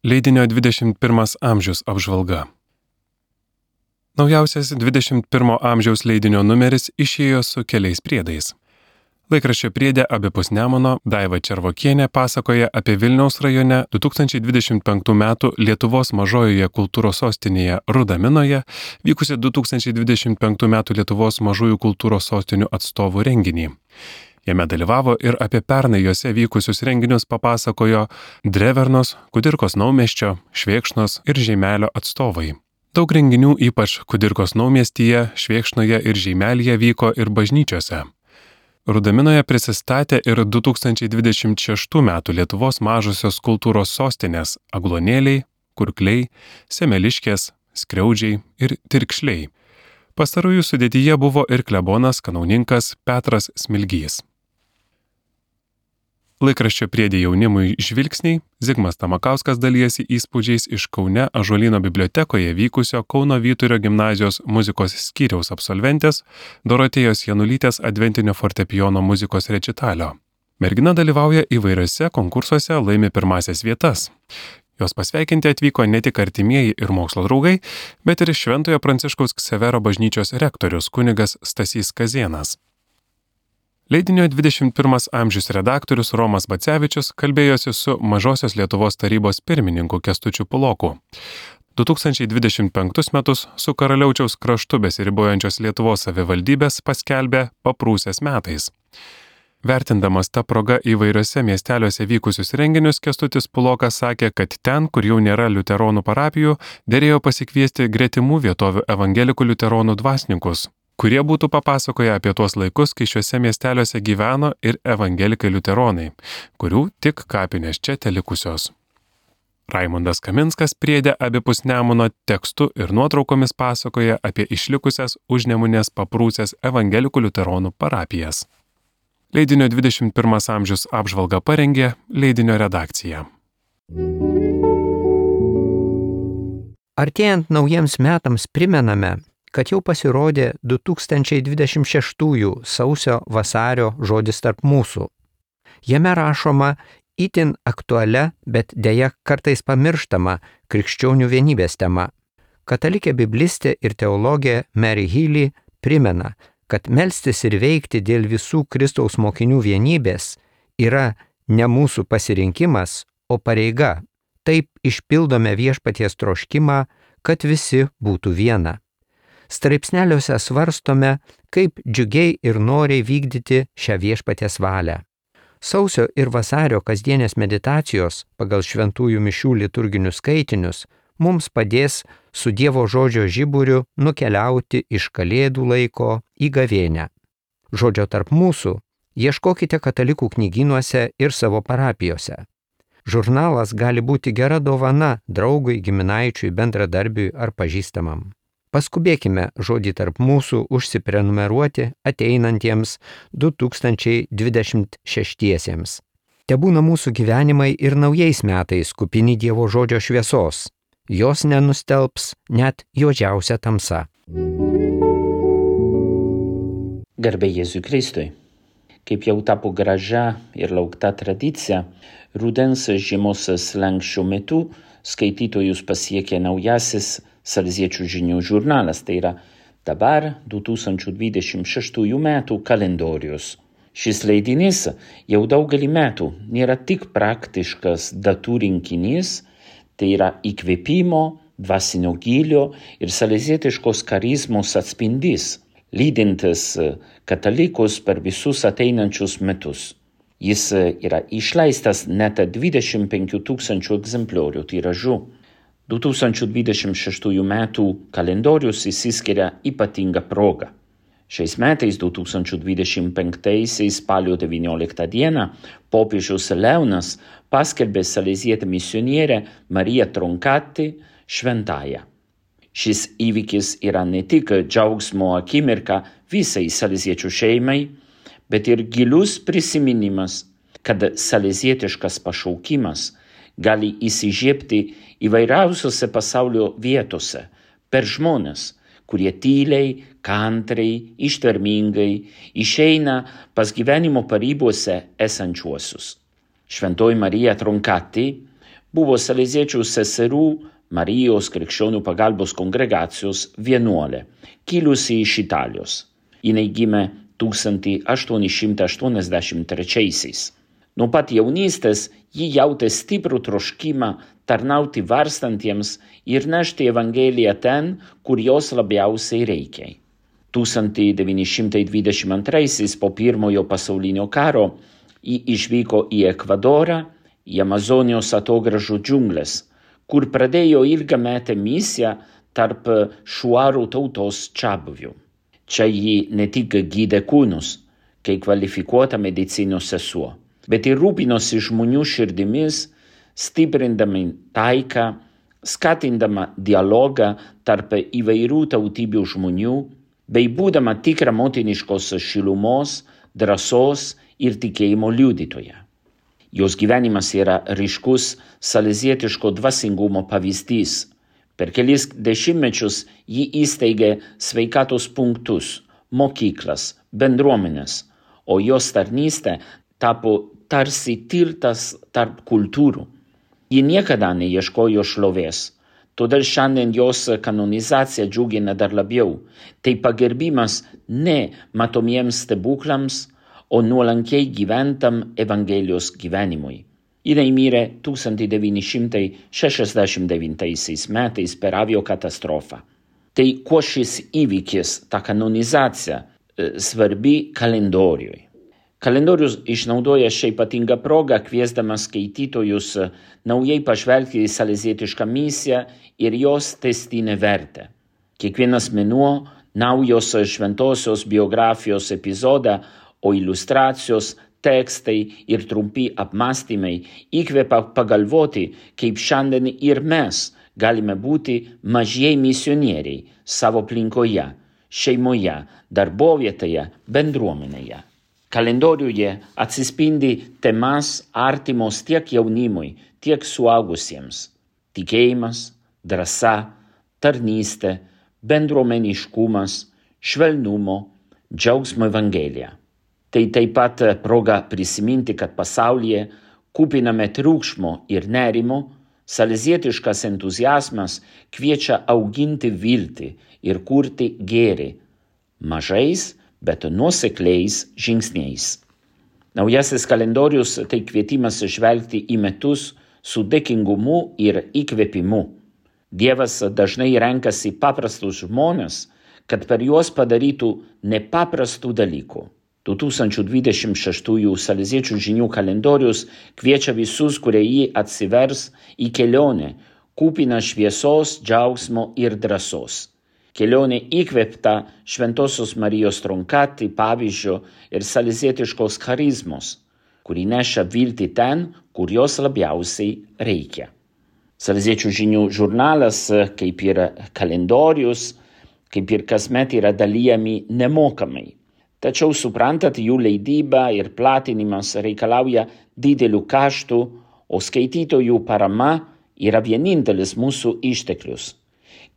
Leidinio 21 amžius apžvalga. Naujausias 21 amžiaus leidinio numeris išėjo su keliais priedais. Laikraščio priede abipus Nemuno Daiva Červokienė pasakoja apie Vilniaus rajone 2025 m. Lietuvos mažojoje kultūros sostinėje Rudaminoje vykusi 2025 m. Lietuvos mažųjų kultūros sostinių atstovų renginį. Jame dalyvavo ir apie pernai juose vykusius renginius papasakojo Drevernos, Kudirkos Naumiesčio, Švėkšnos ir Žeimelio atstovai. Daug renginių ypač Kudirkos Naumiestyje, Švėkšnoje ir Žeimelyje vyko ir bažnyčiose. Rudaminoje prisistatė ir 2026 m. Lietuvos mažosios kultūros sostinės Agluonėliai, Kurkliai, Semeliškės, Skriaudžiai ir Tirkšliai. Pastarųjų sudėtyje buvo ir klebonas kanauninkas Petras Smilgys. Laikraščio priede jaunimui žvilgsniai Zigmas Tamakauskas dalijasi įspūdžiais iš Kaune Ąžuolyno bibliotekoje vykusio Kauno Vyturio gimnazijos muzikos skyriaus absolventės Dorotėjos Janulytės adventinio fortepijono muzikos rečitalio. Mergina dalyvauja įvairiose konkursuose, laimi pirmąsias vietas. Jos pasveikinti atvyko ne tik artimieji ir mokslo draugai, bet ir Šventojo Pranciškaus Ksavero bažnyčios rektorius kunigas Stasys Kazėnas. Leidinio 21 amžius redaktorius Romas Bacevičius kalbėjosi su Mažosios Lietuvos tarybos pirmininku Kęstučiu Puloku. 2025 metus su Karaliaučiaus kraštu besiribojančios Lietuvos savivaldybės paskelbė paprūsės metais. Vertindamas tą progą įvairiose miesteliuose vykusius renginius, Kęstutis Pulokas sakė, kad ten, kur jau nėra liuteronų parapijų, derėjo pasikviesti gretimų vietovių evangelikų liuteronų dvasininkus, kurie būtų papasakoję apie tuos laikus, kai šiuose miesteliuose gyveno ir evangelikai liuteronai, kurių tik kapinės čia telikusios. Raimundas Kaminskas priede abipus Nemuno tekstu ir nuotraukomis pasakoja apie išlikusias Užnemunės paprūsės evangelikų liuteronų parapijas. Leidinio 21 amžius apžvalgą parengė leidinio redakcija. Artėjant naujiems metams primename, kad jau pasirodė 2026 sausio-vasario žodis tarp mūsų. Jame rašoma itin aktualia, bet deja kartais pamirštama krikščionių vienybės tema. Katalikė biblistė ir teologė Mary Healy primena, kad melstis ir veikti dėl visų Kristaus mokinių vienybės yra ne mūsų pasirinkimas, o pareiga. Taip išpildome viešpaties troškimą, kad visi būtų viena. Straipsneliuose svarstome, kaip džiugiai ir noriai vykdyti šią viešpaties valią. Sausio ir vasario kasdienės meditacijos pagal šventųjų mišių liturginius skaitinius mums padės su Dievo žodžio žiburiu nukeliauti iš kalėdų laiko į gavėnią. Žodžio tarp mūsų ieškokite katalikų knygynuose ir savo parapijose. Žurnalas gali būti gera dovana draugui, giminaičiui, bendradarbiui ar pažįstamam. Paskubėkime žodį tarp mūsų užsiprenumeruoti ateinantiems 2026-iesiems. Tebūna mūsų gyvenimai ir naujais metais kupini Dievo žodžio šviesos. Jos nenustelbs net juodžiausia tamsa. Garbė Jėzui Kristui. Kaip jau tapo gražia ir laukta tradicija, rudens žiemos slenksčio metu skaitytojus pasiekė naujasis Saleziečių žinių žurnalas, tai yra dabar 2026 metų kalendorius. Šis leidinys jau daugelį metų nėra tik praktiškas datų rinkinys, tai yra įkvėpimo, dvasinio gylio ir salezietiškos charizmos atspindys, lydintis katalikus per visus ateinančius metus. Jis yra išleistas net 25 000 egzempliorių tiražu. 2026 metų kalendorius išsiskiria ypatinga proga. Šiais metais 2025 spalio 19 dieną popiežius Leonas paskelbė salezietę misionierę Mariją Troncati šventąja. Šis įvykis yra ne tik džiaugsmo akimirka visai saleziečių šeimai, bet ir gilus prisiminimas, kad salezietiškas pašaukimas gali įsižiebti įvairiausiose pasaulio vietose per žmones, kurie tyliai, kantriai, ištvermingai išeina pas gyvenimo paribose esančiuosius. Šventoji Marija Troncati buvo Saleziečių seserų Marijos krikščionių pagalbos kongregacijos vienuolė, kilusi iš Italijos. Jinai gimė 1883. Nuo pat jaunystės ji jautė stiprų troškimą tarnauti varstantiems ir nešti Evangeliją ten, kur jos labiausiai reikia. 1922 po Pirmojo pasaulinio karo ji išvyko į Ekvadorą, į Amazonijos atogražų džiungles, kur pradėjo ilgametę misiją tarp šuarų tautos čiabuvių. Čia ji ne tik gydė kūnus, kaip kvalifikuota medicinos sesuo, bet ir rūpinosi žmonių širdimis, stiprindama taiką, skatindama dialogą tarp įvairių tautybių žmonių, bei būdama tikra motiniškos šilumos, drąsos ir tikėjimo liudytoja. Jos gyvenimas yra ryškus salezietiško dvasingumo pavyzdys. Per kelis dešimtmečius ji įsteigė sveikatos punktus, mokyklas, bendruomenės, o jos tarnystė tapo tarsi tiltas tarp kultūrų. Ji niekada neieškojo šlovės, todėl šiandien jos kanonizacija džiugina dar labiau. Tai pagerbimas ne matomiems stebuklams, o nuolankiai gyventam Evangelijos gyvenimui. Jinai mirė 1969 metais per aviokatastrofą. Tai kuo šis įvykis, ta kanonizacija, svarbi kalendoriui. Kalendorius išnaudoja šią ypatingą progą, kviesdamas skaitytojus naujai pažvelgti į salezietišką misiją ir jos tęstinę vertę. Kiekvienas mėnuo naujos šventosios biografijos epizodą, o iliustracijos, tekstai ir trumpi apmąstymai įkvepia pagalvoti, kaip šiandien ir mes galime būti mažieji misionieriai savo aplinkoje, šeimoje, darbovietėje, bendruomenėje. Kalendoriuje atsispindi temas artimos tiek jaunimui, tiek suaugusiems. Tikėjimas, drąsa, tarnystė, bendruomeniškumas, švelnumo, džiaugsmo Evangelija. Tai taip pat proga prisiminti, kad pasaulyje kupiname triukšmo ir nerimo, salezietiškas entuziazmas kviečia auginti viltį ir kurti gėrį, mažais, bet nuosekliais žingsniais. Naujasis kalendorius tai kvietimas žvelgti į metus su dėkingumu ir įkvėpimu. Dievas dažnai renkasi paprastus žmones, kad per juos padarytų nepaprastų dalykų. 2026 Saleziečių žinių kalendorius kviečia visus, kurie jį atsivers į kelionę, kupiną šviesos, džiaugsmo ir drąsos. Kelionė įkvėpta Šventosios Marijos Tronkati pavyzdžio ir salezietiškos charizmos, kuri neša viltį ten, kur jos labiausiai reikia. Saleziečių žinių žurnalas, kaip ir kalendorius, kaip ir kasmet yra dalijami nemokamai. Tačiau suprantat, jų leidyba ir platinimas reikalauja didelių kaštų, o skaitytojų parama yra vienintelis mūsų išteklius.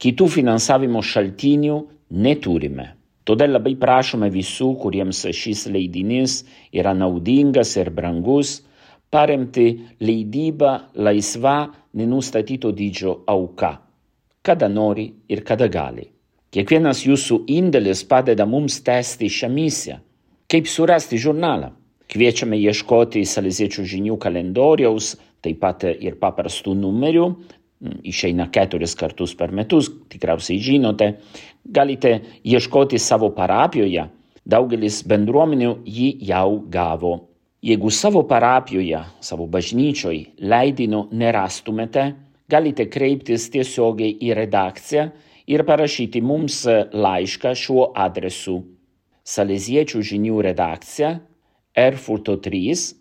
Kitų finansavimo šaltinių neturime. Todėl labai prašome visų, kuriems šis leidinys yra naudingas ir brangus, paremti leidybą laisva nenustatyto dydžio auka, kada nori ir kada gali. Kiekvienas jūsų indėlis padeda mums tęsti šią misiją. Kaip surasti žurnalą? Kviečiame ieškoti Saleziečių žinių kalendoriaus, taip pat ir paprastų numerių. Išeina 4 kartus per metus, tikriausiai žinote. Galite ieškoti savo parapijoje. Daugelis bendruomenių jį jau gavo. Jeigu savo parapijoje, savo bažnyčioje leidinio nerastumėte, galite kreiptis tiesiogiai į redakciją ir parašyti mums laišką šiuo adresu. Saleziečių žinių redakcija, Erfurto 3,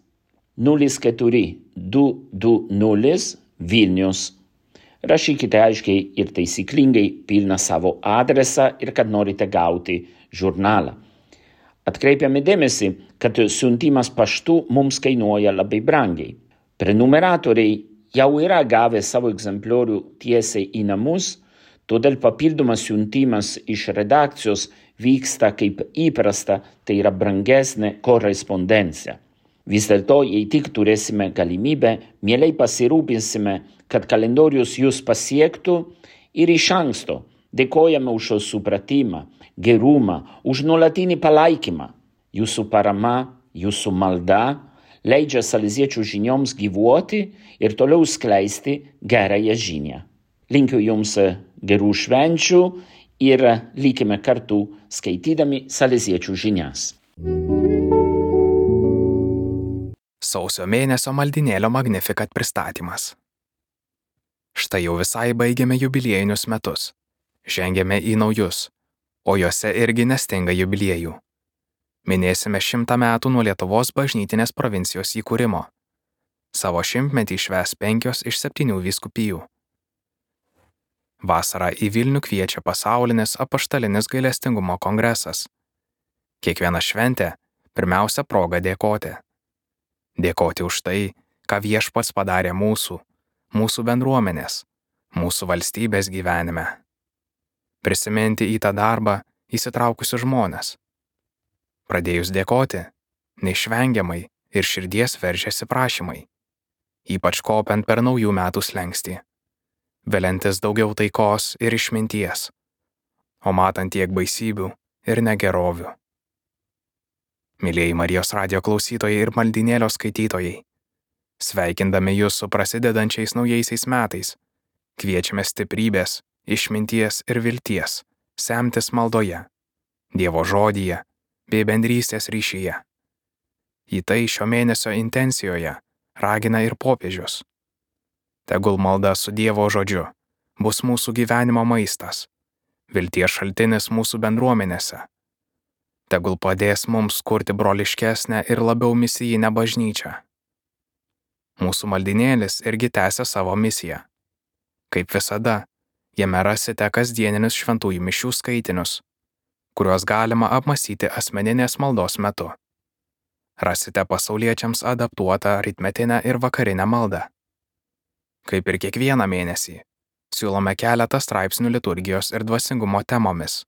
04220 Vilnius. Rašykite aiškiai ir taisyklingai pilną savo adresą ir kad norite gauti žurnalą. Atkreipiame dėmesį, kad siuntimas paštu mums kainuoja labai brangiai. Prenumeratoriai jau yra gavę savo egzempliorių tiesiai į namus, todėl papildomas siuntimas iš redakcijos vyksta kaip įprasta, tai yra brangesnė korespondencija. Vis dėlto, jei tik turėsime galimybę, mielai pasirūpinsime, kad kalendorius jūs pasiektų ir iš anksto dėkojame už jo supratimą, gerumą, už nuolatinį palaikymą. Jūsų parama, jūsų malda leidžia saleziečių žinioms gyvuoti ir toliau skleisti gerąją žinią. Linkiu jums gerų švenčių ir likime kartu skaitydami saleziečių žinias. Sausio mėnesio maldynėlio Magnificat pristatymas. Štai jau visai baigėme jubiliejinius metus. Žengėme į naujus, o juose irgi nestinga jubiliejų. Minėsime 100 metų nuo Lietuvos bažnytinės provincijos įkūrimo. Savo 100-metį švęs 5 iš 7 vyskupijų. Vasarą į Vilnių kviečia pasaulinis apaštalinis gailestingumo kongresas. Kiekviena šventė pirmiausia proga dėkoti. Dėkoti už tai, ką Viešpats padarė mūsų bendruomenės, mūsų valstybės gyvenime. Prisiminti į tą darbą įsitraukusius žmones. Pradėjus dėkoti, neišvengiamai ir širdies veržiasi prašymai, ypač kopiant per naujų metų slenkstį, veliantis daugiau taikos ir išminties, o matant tiek baisybių ir negerovių. Mylėjai Marijos radijo klausytojai ir maldynėlio skaitytojai, sveikindami jūs su prasidedančiais naujaisiais metais, kviečiame stiprybės, išminties ir vilties semtis maldoje, Dievo žodyje bei bendrystės ryšyje. Į tai šio mėnesio intencijoje ragina ir popiežius. Tegul malda su Dievo žodžiu bus mūsų gyvenimo maistas, vilties šaltinis mūsų bendruomenėse. Tegul padės mums kurti broliškesnę ir labiau misijinę bažnyčią. Mūsų maldynėlis irgi tęsia savo misiją. Kaip visada, jame rasite kasdieninius šventųjų mišių skaitinius, kuriuos galima apmąstyti asmeninės maldos metu. Rasite pasauliečiams adaptuotą rytmetinę ir vakarinę maldą. Kaip ir kiekvieną mėnesį, siūlome keletą straipsnių liturgijos ir dvasingumo temomis.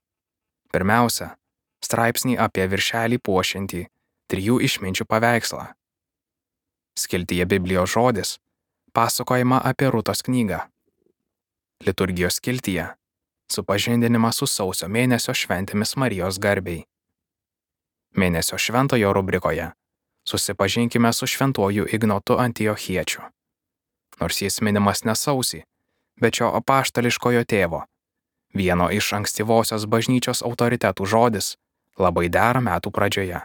Pirmiausia, straipsnį apie viršelį puošiantį 3 išminčių paveikslą. Skiltyje Biblijos žodis pasakojama apie Rūtos knygą. Liturgijos skiltyje supažindinimas su sausio mėnesio šventėmis Marijos garbei. Mėnesio šventojo rubrikoje susipažinkime su šventuoju Ignotu Antiochiečiu. Nors jis minimas ne sausį, bet šio apaštališkojo tėvo, vieno iš ankstyvosios bažnyčios autoritetų žodis labai dera metų pradžioje.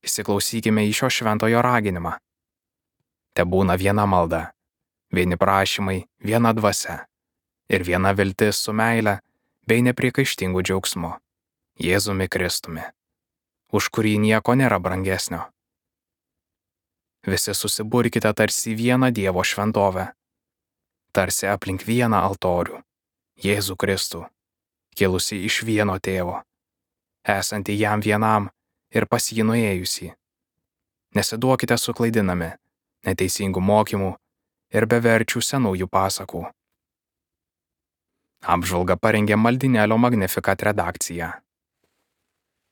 Įsiklausykime į šio šventojo raginimą. Tebūna viena malda, vieni prašymai, viena dvasia ir viena viltis su meile bei nepriekaištingu džiaugsmu, Jėzumi Kristumi, už kurį nieko nėra brangesnio. Visi susiburkite tarsi vieną Dievo šventovę, tarsi aplink vieną altorių, Jėzų Kristų, kilusi iš vieno tėvo, esantį jam vienam ir pas jį nuėjusį. Nesiduokite suklaidinami neteisingų mokymų ir beverčių senųjų pasakų. Apžvalgą parengė maldynėlio Magnificat redakcija.